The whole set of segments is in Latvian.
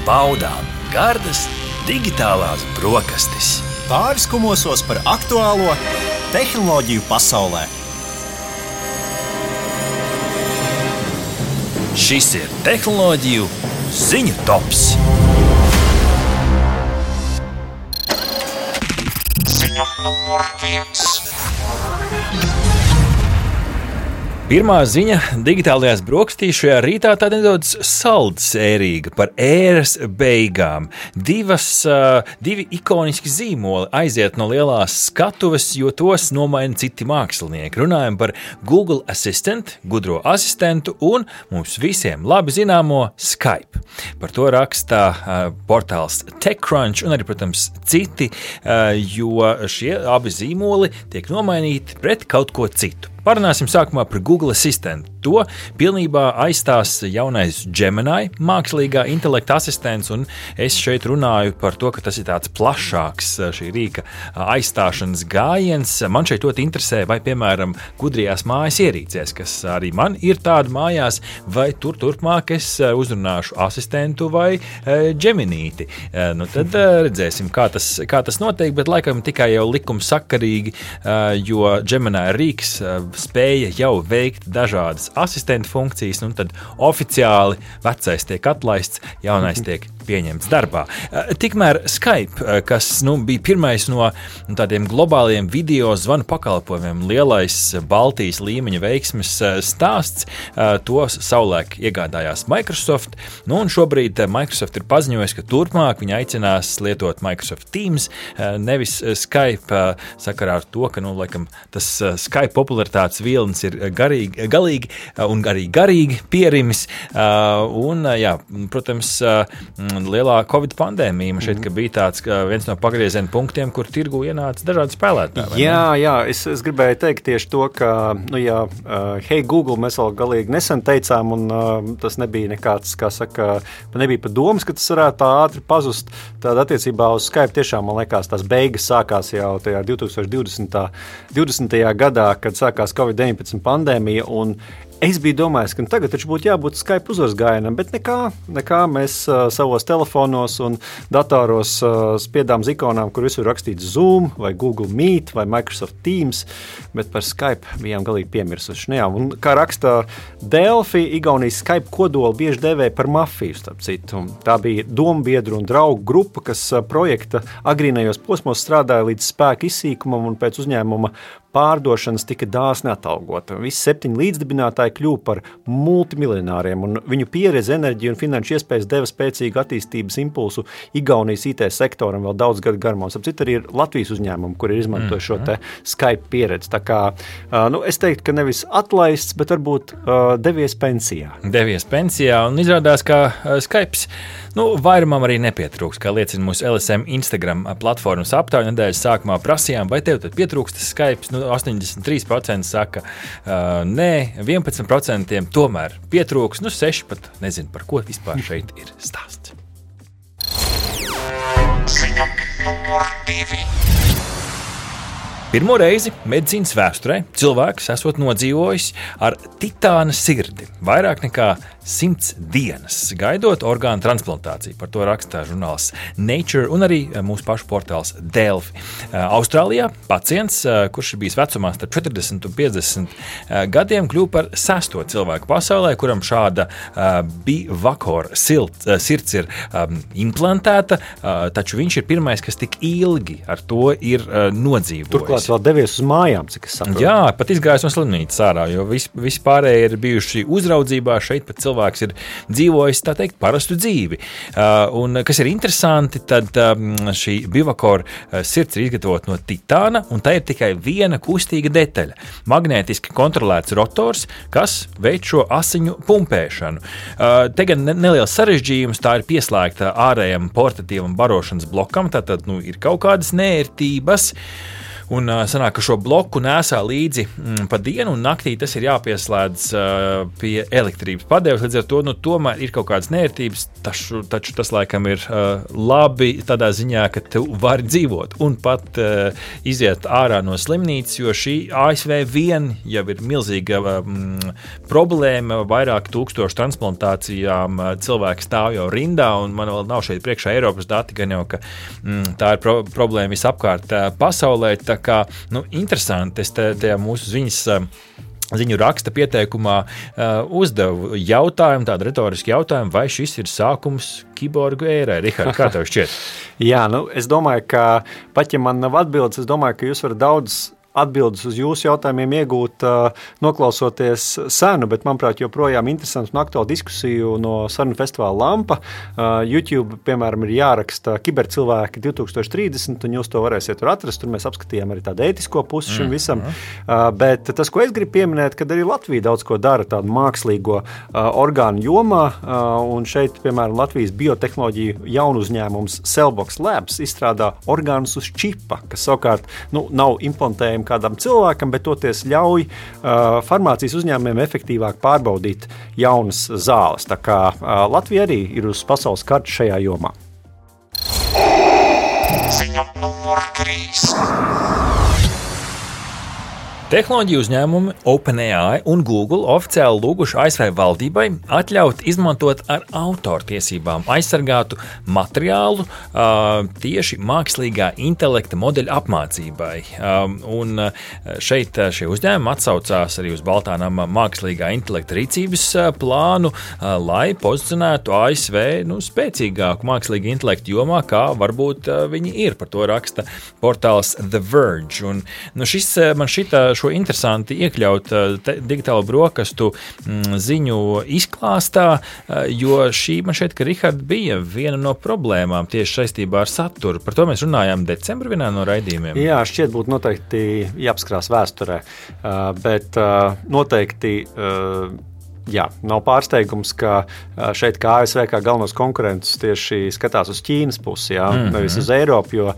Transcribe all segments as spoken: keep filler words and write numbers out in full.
baudām gardas digitālās brokastis. Pāris kumosos par aktuālo tehnoloģiju pasaulē. Šis ir tehnoloģiju ziņu tops. Ziņa numur viens. Pirmā ziņa digitālajās brokastīs šajā rītā tā nedaudz saldsērīga par ēras beigām. Divas, uh, divi ikoniski zīmoli aiziet no lielās skatuves, jo tos nomaina citi mākslinieki. Runājam par Google Assistant, gudro asistentu un mums visiem labi zināmo Skype. Par to rakstā uh, portāls TechCrunch un arī, protams, citi, uh, jo šie abi zīmoli tiek nomainīti pret kaut ko citu. Parunāsim sākumā par Google Assistant. To pilnībā aizstās jaunais Gemini, mākslīgā intelekta asistents, un es šeit runāju par to, ka tas ir tāds plašāks šī rīka aizstāšanas gājiens. Man šeit ļoti interesē, vai, piemēram, gudrijās mājas ierīcēs, kas arī man ir tāda mājās, vai tur turpmāk es uzrunāšu asistentu vai Geminīti. Nu, tad redzēsim, kā tas, kā tas notiek, bet laikam tikai jau likumsakarīgi, jo Gemini rīks spēja jau veikt dažādas asistentu funkcijas, un tad oficiāli vecais tiek atlaists, jaunais tiek pieņemts darbā. Tikmēr Skype, kas nu, bija pirmais no tādiem globāliem video zvanu pakalpojumiem, lielais Baltijas līmeņa veiksmes stāsts, to savulaik iegādājās Microsoft, nu, un šobrīd Microsoft ir paziņojis, ka turpmāk viņi aicinās lietot Microsoft Teams, nevis Skype, sakarā ar to, ka, nu, laikam, tas Skype popularitātes vilnis ir garīgi, galīgi un arī garīgi pierimis, un, jā, protams, lielā Covid pandēmija šeit, ka bija tāds viens no pagrieziena punktiem, kur tirgu ienāca dažādi spēlētāji. Jā, jā, es, es gribēju teikt tieši to, ka, nu jā, hei Google, mēs vēl galīgi nesen teicām, un uh, tas nebija nekāds, kā saka, nebija pa domas, ka tas varētu tā ātri pazust. Tad attiecībā uz Skype tiešām, man liekas, tās beigas sākās jau tajā divdesmitajā gadā, kad sākās Covid deviņpadsmit pandēmija, un es biju domājis, ka tagad taču būtu jābūt Skype uzvaras gājienam, bet nekā, nekā mēs uh, savos telefonos un datoros uh, spiedām uz ikonām, kur visur rakstīts Zoom vai Google Meet vai Microsoft Teams, bet par Skype bijām galīgi piemirsuši. Nu, jā, un kā raksta Delfi, Igaunijas Skype kodoli bieži dēvēja par mafiju, starp citu. Tā bija dombiedru un draugu grupa, kas uh, projekta agrīnajos posmos strādāja līdz spēku izsīkumam un pēc uzņēmuma pārdošanas tika dāsni atalgota. Visi septiņi līdzdibinātāji kļuva par multimiljonāriem, un viņu pieredze, enerģija un finanšu iespējas deva spēcīgu attīstības impulsu Igaunijas I T sektoram vēl daudz gadu garumā. Sapcīt, arī ir Latvijas uzņēmumi, kur ir izmantojuši šo te Skype pieredzi. Tā kā, nu, es teiktu, ka nevis atlaists, bet varbūt uh, devies pensijā. Devies pensijā, un izrādās, ka uh, Skypes, nu, vairumam arī nepietrūks, kā liecina mūsu L S M Instagram platformas aptauja nedēļas sākumā prasījām, vai tev tad pietrūks tas Skypes, nu, astoņdesmit trīs procenti saka, uh, nē, vienpadsmit procenti tomēr pietrūks, nu seši pat nezinu, par ko vispār šeit ir stāsts. Ziņa numur divi. Pirmo reizi medicīnas vēsturē cilvēks esot nodzīvojis ar titāna sirdi vairāk nekā simts dienas, gaidot orgānu transplantāciju. Par to rakstā žurnāls Nature un arī mūsu pašu portāls Delfi. Austrālijā pacients, kurš ir bijis vecumā starp četrdesmit un piecdesmit gadiem, kļuva par sesto cilvēku pasaulē, kuram šāda bivakora sirds ir implantēta, taču viņš ir pirmais, kas tik ilgi ar to ir nodzīvojis. Turklāt vēl devies uz mājām, cik es saprotu. Jā, pat izgājis no slimnīcas ārā, jo vis, visi pārējie ir bijuši uzraudzībā, šeit pat cilvēks ir dzīvojis, tā teikt, parastu dzīvi. Uh, un, kas ir interesanti, tad um, šī bivakora uh, sirds ir izgatavota no titāna, un tā ir tikai viena kustīga detaļa. Magnētiski kontrolēts rotors, kas veic šo asiņu pumpēšanu. Uh, te gan neliels sarežģījums, tā ir pieslēgta ārējam portatīvam barošanas blokam, tātad nu, ir kaut kādas neērtības, Un uh, sanāk, ka šo bloku nesā līdzi mm, pa dienu un naktī tas ir jāpieslēdz uh, pie elektrības padeves. Līdz ar to nu, tomēr ir kaut kādas nērtības, taču, taču tas laikam ir uh, labi tādā ziņā, ka tu vari dzīvot un pat uh, iziet ārā no slimnīcas, jo šī A S V vien jau ir milzīga um, problēma, vairāk tūkstošu transplantācijām uh, cilvēki stāv jau rindā, un man vēl nav šeit priekšā Eiropas dati, gan jau, ka mm, tā ir pro- problēma visapkārt uh, pasaulē. Tā kā, nu, interesanti, es te, tajā mūsu ziņas ziņu raksta pieteikumā uh, uzdevu jautājumu, tādu retorisku jautājumu, vai šis ir sākums kiborgu ērai. Rihard, kā tev šķiet? Jā, nu, es domāju, ka pat ja man nav atbildes, es domāju, ka jūs varat daudz atbildes uz jūsu jautājumiem iegūt, uh, noklausoties senu, bet, manuprāt, joprojām interesants un aktuāla diskusiju no sarunu festivāla Lampa. Uh, YouTube, piemēram, ir jāraksta kibercilvēki divi tūkstoši trīsdesmit, un jūs to varēsiet tur atrast. Tur mēs apskatījām arī tādu ētisko pusi šim visam. Uh, bet tas, ko es gribu pieminēt, kad arī Latvija daudz ko dara tādu mākslīgo uh, orgānu jomā, uh, un šeit, piemēram, Latvijas biotehnoloģiju jaunu uzņēmums Cellbox Labs izstrādā orgānus uz čipa, kas savukārt nu, nav implantējumi kādam cilvēkam, bet toties ļauj uh, farmācijas uzņēmumiem efektīvāk pārbaudīt jaunas zāles. Tā kā uh, Latvija arī ir uz pasaules kartes šajā jomā. Ziņa numur trīs. Tehnoloģiju uzņēmumi OpenAI un Google oficiāli lūguši A S V valdībai atļaut izmantot ar autortiesībām aizsargātu materiālu uh, tieši mākslīgā intelekta modeļu apmācībai. Um, un šeit šie uzņēmumi atsaucās arī uz Baltānam mākslīgā intelekta rīcības plānu, uh, lai pozicionētu A S V nu, spēcīgāku mākslīgu intelektu jomā, kā varbūt uh, viņi ir. Par to raksta portāls The Verge. Un, nu, šis man šita šo interesanti iekļaut te, digitālo brokastu m, ziņu izklāstā, jo šī man šeit, ka Rihard bija viena no problēmām tieši saistībā ar saturu. Par to mēs runājām decembra vienā no raidījumiem. Jā, šķiet būtu noteikti jāapskrās vēsturē, bet noteikti jā, nav pārsteigums, ka šeit kā A S V kā galvenos konkurentus tieši skatās uz Ķīnas pusi, jā, mm-hmm. nevis uz Eiropu, jo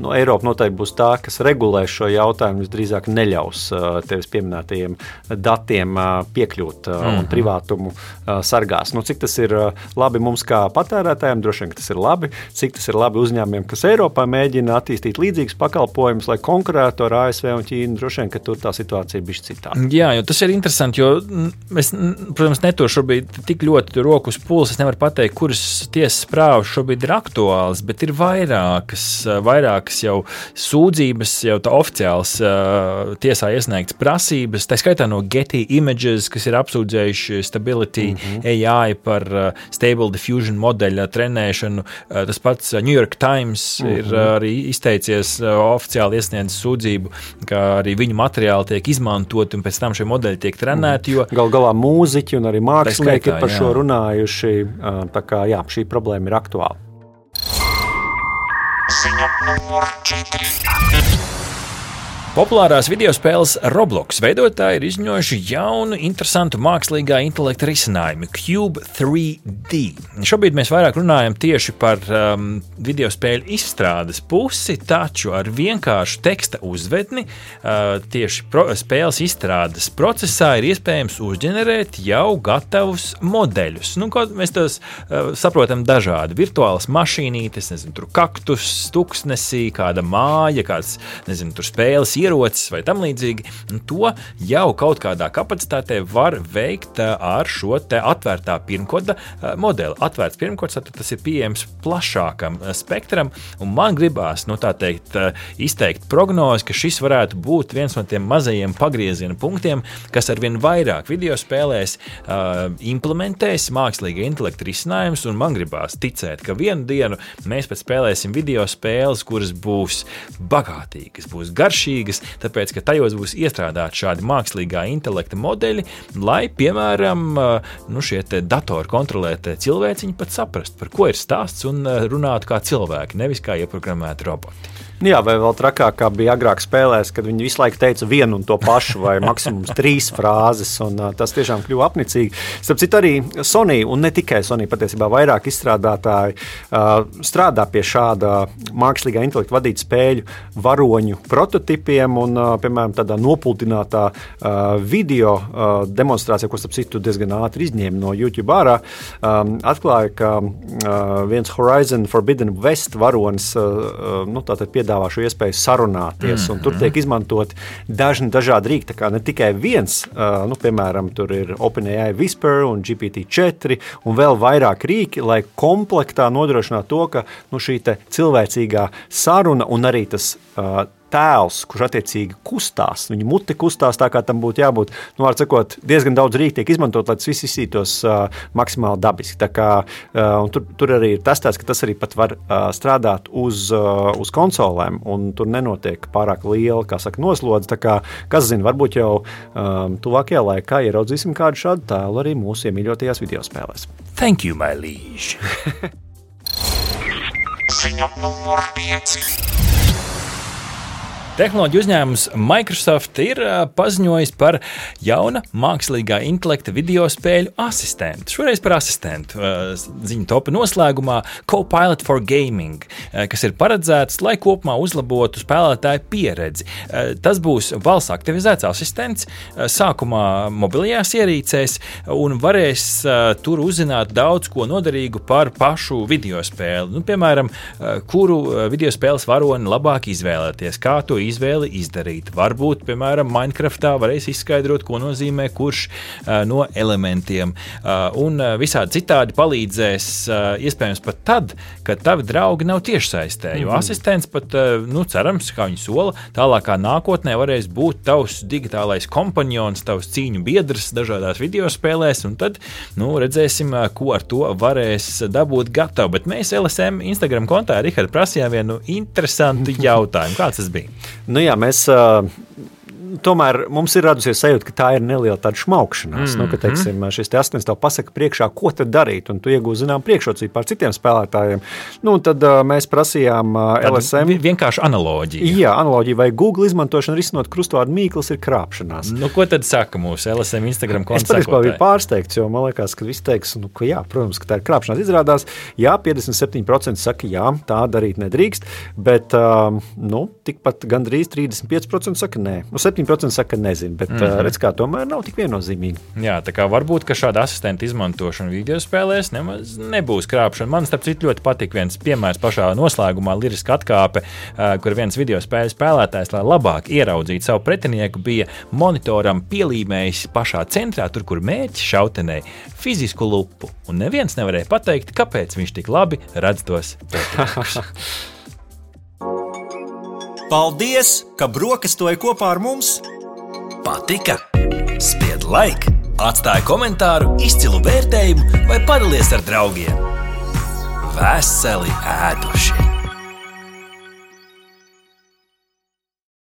no Eiropa noteikti būs tā, kas regulēs šo jautājumu, visdrīzāk neļaus tevis pieminētajiem datiem piekļūt mm-hmm. un privātumu sargās. Nu, cik tas ir labi mums kā patērētājiem, droši vien, ka tas ir labi, cik tas ir labi uzņēmumiem, kas Eiropā mēģina attīstīt līdzīgus pakalpojumus, lai konkurētu ar A S V un Ķīnu, droši vien, ka tur tā situācija ir bišķi citāda. Jā, jo tas ir interesanti, jo mēs protams, netur šobrīd tik ļoti roku uz pulsa. Es nevaru pateikt, kuras tiesas prāvas šobrīd ir aktuāls, bet ir vairākas, vairākas jau sūdzības, jau tā oficiāls uh, tiesā iesniegts prasības. Tā skaitā no Getty Images, kas ir apsūdzējuši Stability mm-hmm. A I par uh, Stable Diffusion modeļa trenēšanu. Uh, tas pats New York Times mm-hmm. ir uh, arī izteicies uh, oficiāli iesniedzis sūdzību, ka arī viņu materiāli tiek izmantoti un pēc tam šie modeļi tiek trenēti. Jo... Gal galā mūziķi un arī mākslinieki par jā. šo runājuši, tā kā jā, šī problēma ir aktuāla. Ziņa numur četri. Populārās videospēles Roblox veidotāji ir izņojuši jaunu, interesantu mākslīgā intelekta risinājumu Cube trīs D. Šobrīd mēs vairāk runājam tieši par um, videospēļu izstrādes pusi, taču ar vienkāršu teksta uzvedni uh, tieši pro, spēles izstrādes procesā ir iespējams uzģenerēt jau gatavus modeļus. Nu, kaut mēs tos uh, saprotam dažādi. Virtuālas mašīnītes, nezinu, tur kaktus, tuksnesī, kāda māja, kāds, nezinu, tur spēles ierocis vai tam līdzīgi, to jau kaut kādā kapacitātē var veikt ar šo te atvērtā pirmkoda modeli. Atvērts pirmkods, tad tas ir pieejams plašākam spektram, un man gribās, nu tā teikt, izteikt prognozi, ka šis varētu būt viens no tiem mazajiem pagrieziena punktiem, kas arvien vairāk videospēlēs uh, implementēs mākslīga intelekta risinājumus, un man gribās ticēt, ka vienu dienu mēs pēc spēlēsim videospēles, kuras būs bagātīgas, būs garšīgas, tāpēc, ka tajos būs iestrādāti šādi mākslīgā intelekta modeļi, lai, piemēram, nu, šie te datori kontrolētie cilvēciņi pat saprast, par ko ir stāsts un runātu kā cilvēki, nevis kā ieprogrammēti roboti. Jā, vai vēl trakāk, kā bija agrāk spēlēs, kad viņi visu laiku teica vienu un to pašu, vai maksimums trīs frāzes, un uh, tas tiešām kļuva apnicīgi. Starp citu, arī Sony, un ne tikai Sony, patiesībā vairāk izstrādātāji uh, strādā pie šāda mākslīgā intelekta vadītu spēļu varoņu prototipiem, un, uh, piemēram, tādā nopultinātā uh, video uh, demonstrācijā, ko starp citu diezgan ātri izņēma no YouTube ārā, um, atklāja, ka uh, viens Horizon Forbidden West varonis uh, nu, tātad piedāvā šo iespēju sarunāties, mm-hmm. un tur tiek izmantot dažni dažādi rīki, tā kā ne tikai viens, uh, nu, piemēram, tur ir OpenAI Whisper un G P T četri un vēl vairāk rīki, lai komplektā nodrošinātu to, ka nu, šī te cilvēcīgā saruna un arī tas uh, tēls, kurš attiecīgi kustās, viņa mute kustās tā, kā tam būtu jābūt. Nu, var sakot, diezgan daudz rīku tiek izmantot, lai tas viss izsītos uh, maksimāli dabiski. Tā kā, uh, un tur, tur arī ir testēts, ka tas arī pat var uh, strādāt uz, uh, uz konsolēm, un tur nenotiek pārāk liela, kā saka, noslodze. Tā kā, kas zina, varbūt jau um, tuvākajā laikā ieraudzīsim kādu šādu tēlu arī mūsu iemīļotajās videospēlēs. Thank you, my liege. Ziņa numur pieci. Tehnoloģiju uzņēmums Microsoft ir uh, paziņojis par jauna mākslīgā intelekta video spēļu asistentu. Šoreiz par asistentu. Uh, ziņu topa noslēgumā Copilot for Gaming, uh, kas ir paredzēts, lai kopumā uzlabotu spēlētāju pieredzi. Uh, tas būs valsts aktivizēts asistents, uh, sākumā mobilajās ierīcēs, un varēs uh, tur uzzināt daudz ko noderīgu par pašu video spēli. Nu, piemēram, uh, kuru uh, video spēles varoni labāk izvēlēties, kā to izvēli izdarīt. Varbūt, piemēram, Minecraftā varēs izskaidrot, ko nozīmē kurš uh, no elementiem. Uh, un uh, visādi citādi palīdzēs uh, iespējams pat tad, kad tavi draugi nav tiešsaistē. Jo mm-hmm. asistents pat, uh, nu, cerams, kā viņi sola, tālākā nākotnē varēs būt tavs digitālais kompanjons, tavs cīņu biedrs dažādās videospēlēs, un tad, nu, redzēsim, uh, ko ar to varēs dabūt gatavu. Bet mēs L S M Instagram kontā, Rihard, prasījām vienu interesantu jautājumu. Kāds tas bija? Nu jā, mēs uh, tomēr mums ir radusies sajūta, ka tā ir neliela tāda šmaukšanās. Mm-hmm. Nu, ka, teiksim, šis te asistents tev pasaka priekšā, ko tad darīt, un tu iegūsi zinām priekšrocību pār citiem spēlētājiem. Nu, tad uh, mēs prasījām uh, L S M. Vienkārši analoģija. Jā, analoģija vai Google izmantošana risinot krustvārdu mīklas ir krāpšanās. Nu, ko tad saka mūsu L S M Instagram konta sekotāji? Es patiesībā biju pārsteigts, jo man liekas, ka visi teiks, nu, ka jā, protams, ka tā ir krāpšanās. Izrādās, jā, piecdesmit septiņi procenti saka, jā, tā darīt nedrīkst, bet, uh, nu, tikpat gandrīz trīsdesmit pieci procenti saka, nē. Nu, septiņi procenti saka, nezinu, bet mm-hmm. uh, redz, kā tomēr nav tik viennozīmīgi. Jā, tā kā varbūt, ka šāda asistenta izmantošana video spēlēs nemaz nebūs krāpšana. Man, starp citu, ļoti patīk viens piemērs pašā noslēgumā, liriska atkāpe, uh, kur viens video spēļu spēlētājs, lai labāk ieraudzītu savu pretinieku, bija monitoram pielīmējis pašā centrā, tur, kur mērķi šautenei, fizisku lupu. Un neviens nevarēja pateikt, kāpēc viņš tik labi redz tos pretiniekus. Paldies, ka brokastoji kopā ar mums! Patika? Spied like, atstāj komentāru, izcilu vērtējumu vai padalies ar draugiem. Veseli ēduši!